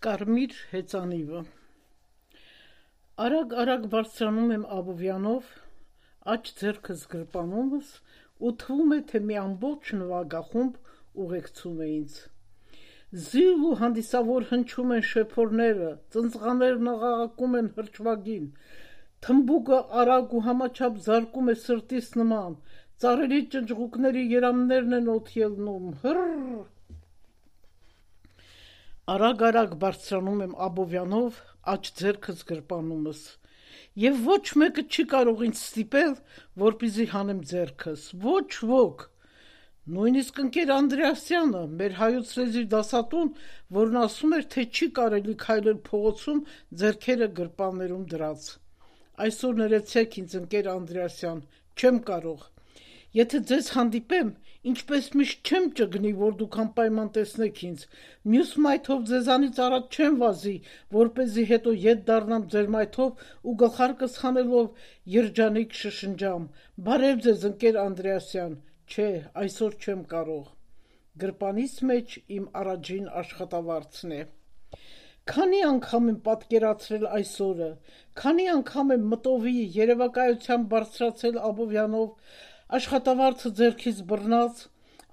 Կարմիր հեծանիվը Արագ բարձրանում եմ Աբովյանով, աջ ձեռքս գրպանումս ու թվում է, թե մի ամբողջ նվագախումբ ուղեկցում է ինձ։ Զիլ ու հանդիսավոր հնչում են շեփորները, ծնծղաներն աղաղակում են հրճվագին, թմբուկը արագ ու համաչափ զարկում է սրտիս նման, ծառերի ճնճղուկների երամներն են օդ ելնում, Արագ բարձրանում եմ Աբովյանով, աջ ձեռքս գրպանումս, և ոչ մեկը չի կարող ինձ ստիպել, որպեսզի հանեմ ձեռքս, ոչ ոք, նույնիսկ ընկեր Անդրեասյանը, մեր հայոց լեզվի դասատուն, որն ասում էր, թե չի կարելի քայլել փողոցում ձեռքերը գրպաններում դրած։ Այսօր ներեցեք ինձ, ընկեր Անդրեասյան, չեմ կարող։ Եթե ձեզ հանդիպեմ, ինչպես միշտ չեմ ճգնի, որ դուք անպայման տեսնեք ինձ, մյուս մայթով ձեզանից առաջ չեմ վազի, որպեսզի հետո ետ դառնամ ձեր մայթով ու գլխարկս հանելով երջանիկ շշնջամ. «Բարև ձեզ, ընկեր Անդրեասյան», չէ, այսօր չեմ կարող։ Գրպանիս մեջ իմ առաջին աշխատավարձն է։ Քանի անգամ եմ պատկերացրել այս օրը, քանի անգամ եմ մտովի երևակայությամբ բարձրացել Աբովյանով, աշխատավարձը ձեռքից բռնած,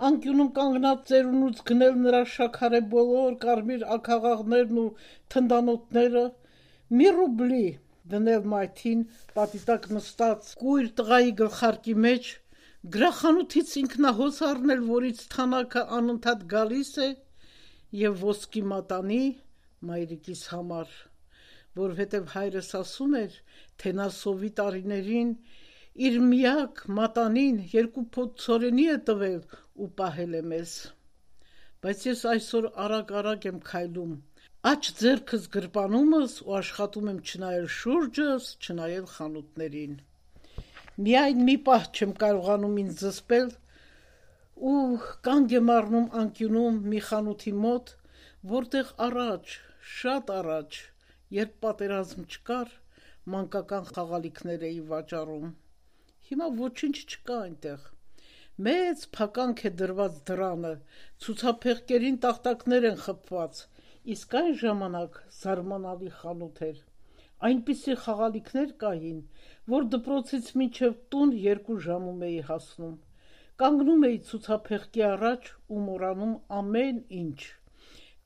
անկյունում կանգնած ծերունուց գնել նրա շաքարե բոլոր կարմիր աքաղաղներն ու թնդանոթները, մի ռուբլի դնել մայթին պատի տակ նստած կույր տղայի գլխարկի մեջ, գրախանութից ինքնահոս առնել, որից թանակը անընդհատ գալիս է, և ոսկի մատանի մայրիկիս համար, որովհետև հայրս ասում էր, թե նա սովի տարիներին իր միակ մատանին 2 փոթ ցորենի է տվել ու պահել է մեզ։ Բայց ես այսօր արագ եմ քայլում, աջ ձեռքս գրպանումս ու աշխատում եմ չնայել շուրջս, չնայել խանութներին։ Միայն մի պահ չեմ կարողանում ինձ զսպել ու կանգ եմ առնում անկյունում մի խանութի մոտ, որտեղ առաջ, շատ առաջ, երբ պատերազմ չկար, մանկական խաղալիքներ էի վաճառում։ Հիմա ոչինչ չկա այնտեղ։ Մեծ փականք է դրված դռանը, ցուցափեղկերին տախտակներ են խփված, իսկ այն ժամանակ զարմանալի խանութ էր։ Այնպիսի խաղալիքներ կային, որ դպրոցից մինչև տուն 2 ժամում էի հասնում։ Կանգնում էի ցուցափեղկի առաջ ու մոռանում ամեն ինչ։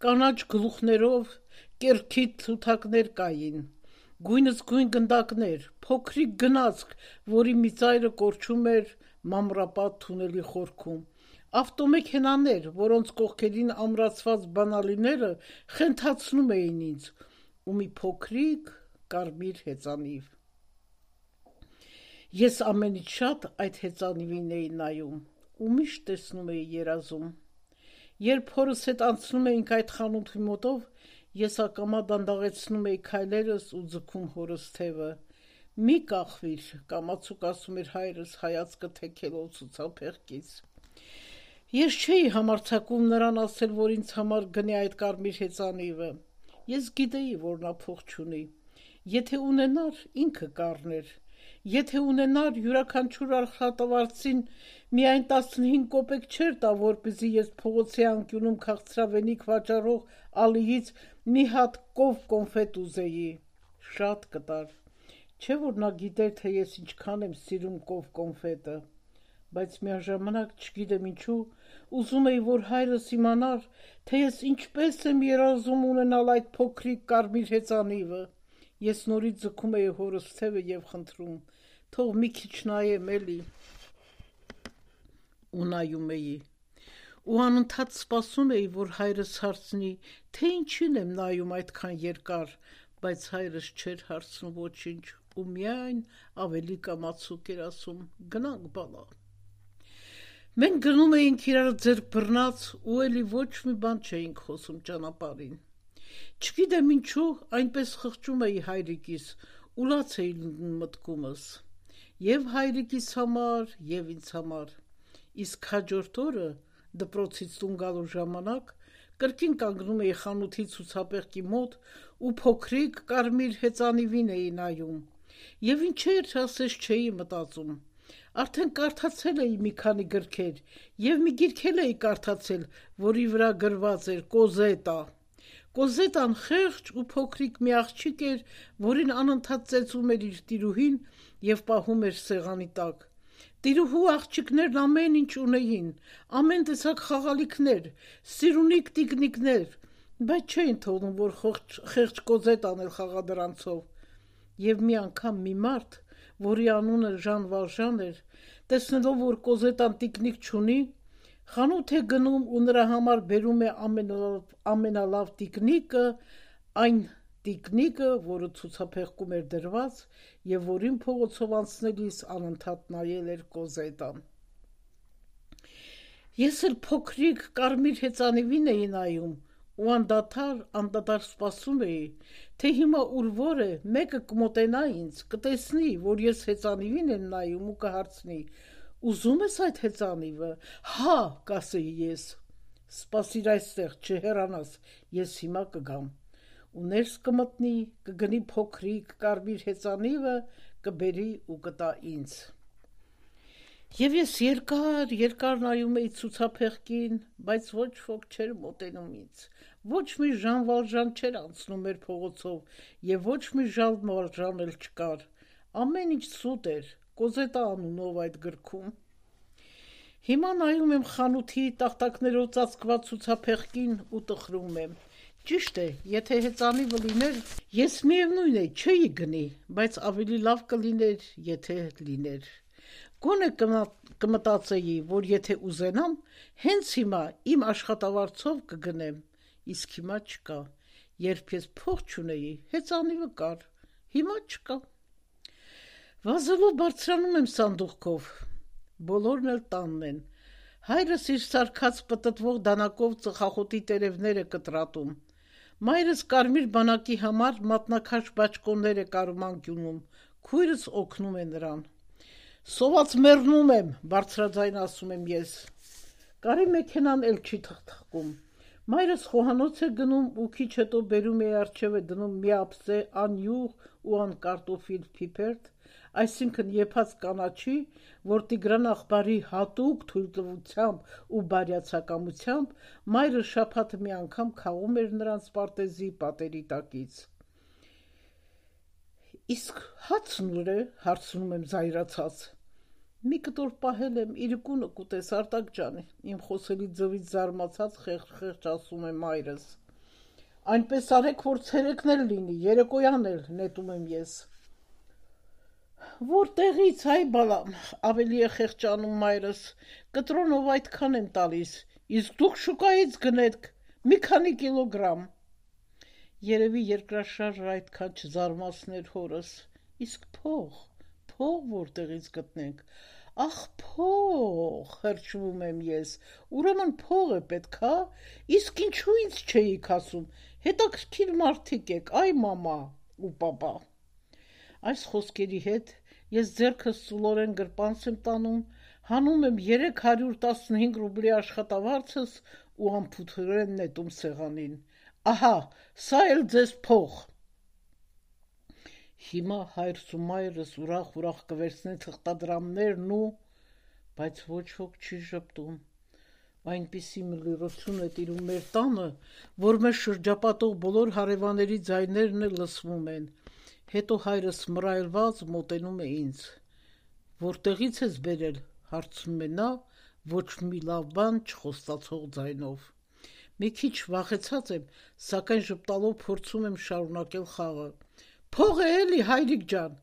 Կանաչ գլուխներով կեռքիթ թութակներ կային, գույնս գույն գնդակներ, փոքրիկ գնացք, որի մի ծայրը կորչում էր մամռապատ թունելի խորքում, ավտոմեքենաներ, որոնց կողքերին ամրացված բանալիները խենթացնում էին ինձ, ու մի փոքրիկ կարմիր հեծանիվ։ Ես ամենից շատ այդ հեծանիվին էի նայում ու միշտ տեսնում էի երազում։ Երբ հորս հետ անցնում էինք այդ խանութի մոտով, ես ակամա դանդաղեցնում էի քայլերս ու ձգում հորս թևը։ «Մի կախվիր», կամացուկ ասում էր հայրս հայացքը թեքելով ցուցափեղկից։ Ես չէի համարձակվում նրան ասել, որ ինձ համար գնի այդ կարմիր հեծանիվը։ Ես գիտեի, որ նա փող չունի։ Եթե ունենար, ինքը կառներ։ Եթե ունենար, յուրաքանչյուր աշխատավարձին միայն 15 կոպեկ չէր տա, որպեսզի ես փողոցի անկյունում քաղցրավենիք վաճառող Ալիից մի հատ կով կոնֆետ ուզեի։ Շատ կտար։ Չէ՞ որ նա գիտեր, թե ես ինչքան եմ սիրում կով կոնֆետը, բայց միաժամանակ չգիտեմ ինչու, ուզում էի, որ հայրս իմանար, թե ես ինչպես եմ երազում ունենալ այդ փոքրիկ կարմիր հեծանիվը։ Ես նորից ձգում էի հորս թևը և խնդրում. «Թող մի քիչ նայեմ էլի»։ Ու նայում էի։ Ու անընդհատ սպասում էի, որ հայրս հարցնի, թե ինչին եմ նայում այդքան երկար, բայց հայրս չէր հարցնում ոչինչ ու միայն ավելի կամացուկ էր ասում. «Գնանք, բալա»։ Մենք գնում էինք իրար ձեռք բռնած ու էլի ոչ մի բան չէինք խոսում ճանապարհին։ Չգիտեմ ինչու, այնպես խղճում էի հայրիկիս ու լաց էի լինում մտքումս։ Եվ հայրիկիս համար, և ինձ համար։ Իսկ հաջորդ օրը, դպրոցից տուն գալու ժամանակ, կրկին կանգնում էի խանութի ցուցափեղկի մոտ ու փոքրիկ կարմիր հեծանիվին էի նայում։ Եվ ինչեր ասես չէի մտածում։ Արդեն կարդացել էի մի քանի գրքեր և մի գիրք էլ էի կարդացել, որի վրա գրված էր Կոզետա։ Կոզետան խեղճ ու փոքրիկ մի աղջիկ էր, որին անընդհատ ծեծում էր իր տիրուհին և պահում էր սեղանի տակ։ Տիրուհու աղջիկներն ամեն ինչ ունեին, ամեն տեսակ խաղալիքներ, սիրունիկ տիկնիկներ, բայց չէին թողնում, որ խեղճ Կոզետան էլ խաղա դրանցով։ Եվ մի անգամ մի մարդ, որի անունը Ժան Վալժան էր, տեսնելով, որ Կոզետան տիկնիկ չունի, խանութ է գնում ու նրա համար բերում է ամենալավ տիկնիկը, այն տիկնիկը, որը ցուցափեղկում էր դրված և որին փողոցով անցնելիս անընդհատ նայել էր Կոզետան։ Ես էլ փոքրիկ կարմիր հեծանիվին էի նայում ու անդադար սպասում էի, թե հիմա ուր որ է, մեկը կմոտենա ինձ, կտեսնի, որ ես հեծանիվին եմ նայում ու կհարցնի. «Ուզում ես այդ հեծանիվը»։ «Հա», կասեի ես։ «Սպասիր այստեղ, չհեռանաս, ես հիմա կգամ»։ Ու ներս կմտնի, կգնի փոքրիկ կարմիր հեծանիվը, կբերի ու կտա ինձ։ Եվ ես երկար նայում էի ցուցափեղկին, բայց ոչ ոք չէր մոտենում ինձ։ Ոչ մի Ժան Վալժան չէր անցնում մեր փողոցով և ոչ մի Ժան Վալժան էլ չկար։ Ամեն ինչ սուտ էր, Կոզետա անունով այդ գրքում։ Հիմա նայում եմ խանութի տախտակներով ծածկված ցուցափեղկին ու տխրում եմ։ Ճիշտ է, եթե հեծանիվը լիներ, ես միևնույն է չէի գնի, բայց ավելի լավ կլիներ, եթե լիներ։ Գոնե կմտածեի, որ եթե ուզենամ, հենց հիմա իմ աշխատավարձով կգնեմ, իսկ հիմա չկա։ Երբ ես փող չունեի, հեծանիվը կար, հիմա չկա։ Վազելով բարձրանում եմ սանդուղքով, բոլորն էլ տանն են։ Հայրս իր սարքած պտտվող դանակով ծխախոտի տերևներ է կտրատում։ Մայրս կարմիր բանակի համար մատնաքաշ բաճկոններ է կարում անկյունում, քույրս օգնում է նրան։ «Սոված մեռնում եմ», բարձրաձայն ասում եմ ես։ Կարի մեքենան էլ չի թխթխկում։ Մայրս խոհանոց է գնում ու քիչ հետո բերում է առջև է դնում մի ափսե անյուղ ու անկարտոֆիլ փիփերթ, այսինքն եփած կանաչի, որ Տիգրան աղբարի հատուկ թույլտվությամբ ու բարյացակամությամբ մայրը շաբաթը մի անգամ քաղում էր նրանց պարտեզի պատերի տակից։ «Իսկ հացն ուր է», հարցնում եմ զայրացած։ «Մի կտոր պահել եմ, իրիկունը կուտես, Արտակ ջան», իմ խոսելի ձվից զարմացած խեղճ ասում է մայրս։ «Այնպես արեք, որ ցերեկն էլ լինի, երեկոյան էլ», նետում եմ ես։ «Որտեղից, այ բալամ», ավելի է խեղճանում մայրս, «կտրոնով այդքան են տալիս, իսկ դուք շուկայից գնեք, մի քանի կիլոգրամ»։ Երևի երկրաշարժը այդքան չզարմացներ հորս։ Իսկ փող որտեղից գտնենք։ Ախ, փող, հրճվում եմ ես, ուրեմն փող է պետք, հա, իսկ ինչու ինձ չէիք ասում, հետաքրքիր մարդիկ եք, այ մամա ու պապա։ Այս խոսքերի հետ ես ձեռքս ծուլորեն գրպանս եմ տանում, հանում եմ 315 ռուբլի աշխատավարձս ու անփութորեն նետում սեղանին։ Ահա, սա էլ ձեզ փող։ Հիմա հայրս ու մայրս ուրախ կվերցնեն թղթադրամներն ու... Բայց ոչ ոք չի ժպտում։ Այնպիսի մլիրություն է տիրում մեր տանը, որ մեր շրջապատող բոլոր հարևանների ձայներն էլ լսվում են։ Հետո հայրս մռայլված մոտենում է ինձ։ «Որտեղից ես բերել», հարցնում է նա, ոչ մի լավ բան չխոստացող ձայնով։ Մի քիչ վախեցած եմ, սակայն ժպտալով փորձում եմ շարունակել խաղը։ «Փող է էլի, հայրիկ ջան»։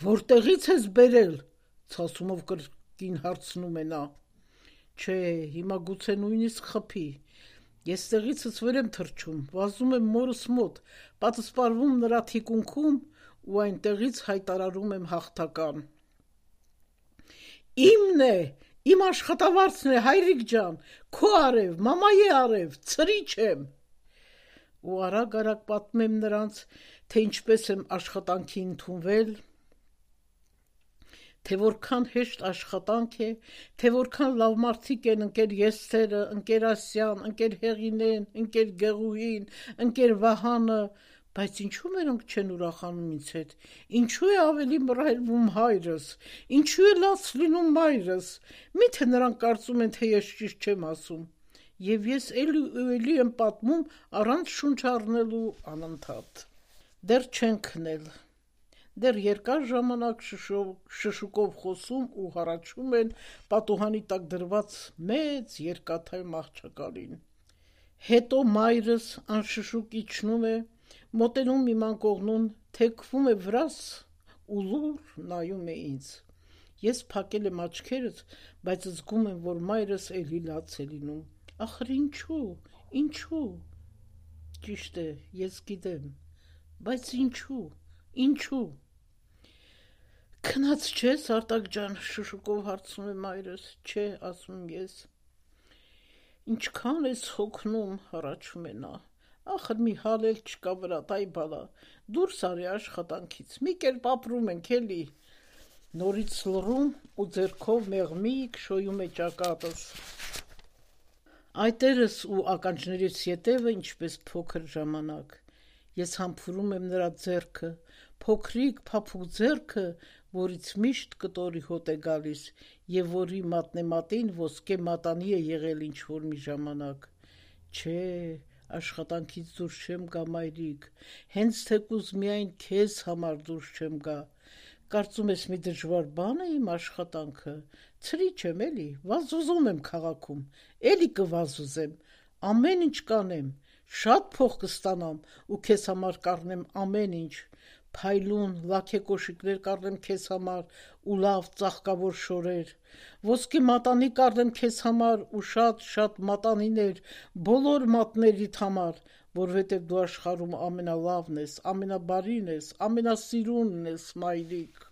«Որտեղից ես բերել», ցասումով կրկին հարցնում է նա։ Չէ, հիմա գուցե նույնիսկ խփի։ Ես տեղիցս վեր եմ թռչում, վազում եմ մորս մոտ, պատսպարվում նրա թիկունքում ու այնտեղից հայտարարում եմ հաղթական. «Իմն է, իմ աշխատավարձն է, հայրիկ ջան, քո արև, մամայի արև, ցրիչ եմ»։ Ու արագ պատմում եմ նրանց, թե ինչպես եմ աշխատանքի ընդունվել, թե որքան հեշտ աշխատանք է, թե որքան լավ մարդիկ են ընկեր Եսթերը, ընկեր Ասյան, ընկեր Հեղինեն, ընկեր Գեղուհին, ընկեր Վահանը, բայց ինչու նրանք չեն ուրախանում ինձ հետ, ինչու է ավելի մռայլվում հայրս, ինչու է լաց լինում մայրս, միթե նրանք կարծում են, թե ես ճիշտ չեմ ասում։ և ես էլի ու էլի եմ պատմում առանց շունչ առնելու անընդհատ։ Դեռ չեն քնել, դեռ երկար ժամանակ շշուկով խոսում ու հառաչում են պատուհանի տակ դրված մեծ երկաթյա մահճակալին։ Հետո մայրս անշշուկ իջնում է, մոտենում իմ անկողնուն, թեքվում է վրաս ու լուռ նայում է ինձ։ Ես փակել եմ աչքերս, բայց զգում եմ, որ մայրս էլի լաց է լինում։ Ախր ինչու։ Ճիշտ է, ես գիտեմ, բայց ինչու։ Քնած չես, Արտակ ջան, շշուկով հարցնում է մայրս։ Չէ, ասում եմ ես։ Ինչքան ես հոգնում, հառաչում է նա։ Ախր մի հալ էլ չկա վրա, տայ բալա, դուրս արի աշխատանքից, մի կերպ ապրում ենք էլի։ Նորից լռում ու ձեռքով մեղմիկ շոյում է ճակատս։ Այտերս ու ականջներիս ետևը ինչպես փոքր ժամանակ։ Ես համբուրում եմ նրա ձեռքը, փոքրիկ փափուկ ձեռքը, որից միշտ կտորի հոտ է գալիս և որի մատնեմատին ոսկե մատանի է եղել ինչ-որ մի ժամանակ։ Չէ, աշխատանքից դուրս չեմ գա, մայրիկ, հենց թեկուզ միայն քեզ համար դուրս չեմ գա։ Կարծում ես մի դժվար բան է իմ աշխատանքը, ցրիչ եմ էլի, վազուզում եմ քաղաքում, էլի կվազուզեմ, ամեն ինչ կանեմ, շատ փող կստանամ ու քեզ համար կառնեմ ամեն ինչ, փայլուն լաքեկոշիկներ կառնեմ քեզ համար ու լավ ծաղկավոր շորեր, ոսկե մատանի կառնեմ քեզ համար ու շատ մատանիներ բոլոր մատներիդ համար, որովհետև դու աշխարհում ամենալավն ես, ամենաբարին ես, ամենասիրունն ես, մայրիկ։